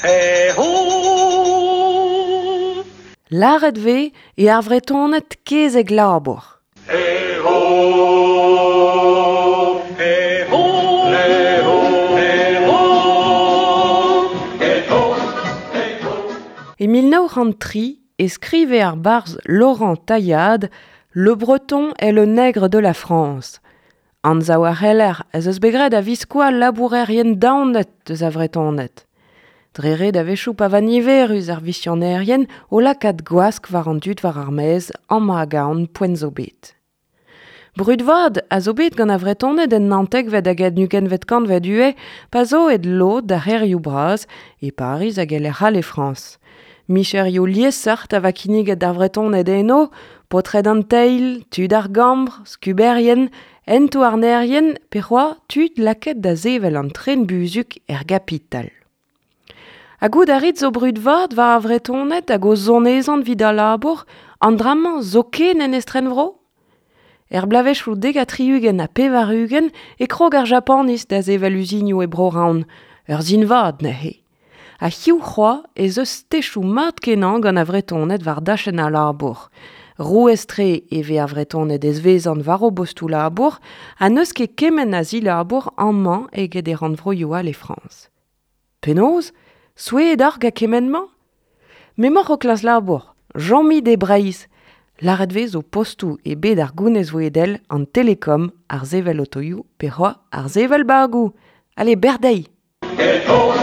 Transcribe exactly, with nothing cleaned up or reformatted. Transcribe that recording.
Eh oh! Lâret 'vez eo ar Vretoned kezeg labour. Eh oh! Eh oh! Eh oh! Eh oh! Eh oh! Eh oh! E mil nav c'hant tri e skrive ar barzh Laurent Taillade Le Breton est le nègre de la France. Anzav a c'heller ez eus bet graet a-viskoazh labourerien daonet eus ar Vretoned. Dre ret a-wechoù pa va niverus ar visionerien o lakaat gwask war an dud war ar maez amañ hag ahont poent zo bet. Brud vat a zo bet gant ar Vretoned en naontekvet hag en ugentvet kantved ivez pa zo aet lod d'ar c'hêrioù bras e Pariz hag e lec'h all e Frañs. Micherioù liesseurt a va kinniget d'ar Vretoned eno, paotred an teil, tud ar gambr, skuberien, hent-houarnerien pe c'hoazh tud lakaet da sevel an tren-buzhug er gapital. Ha goût a rit zo brud vat war ar Vretoned hag o zonezont evit al labour, an dra-mañ zoken en estrenvro? Er bloavezhioù dek ha tri-ugent ha pevar-ugent e krog ar Japaniz da sevel uzinioù e Bro-Raon, ur sin vat neuze. Ha hiziv c'hoazh ez eus techoù mat-kenañ gant ar Vretoned war dachenn al labour. Rouez-tre e vez ar Vretoned ezvezant war o bostoù labour ha n'eus ket kement a zilabour amañ eget e rannvroioù all e Frañs. Penaos ? Souezhet oc'h gant kement-mañ ? M'emaoc'h o klask labour, chomit e Breizh. Lâret 'vez zo postoù e bed ar gounezvouedel, an telekom, ar sevel otoioù pe c'hoazh ar sevel bagoù. Allez, bec'h dezhi ! Eh oh!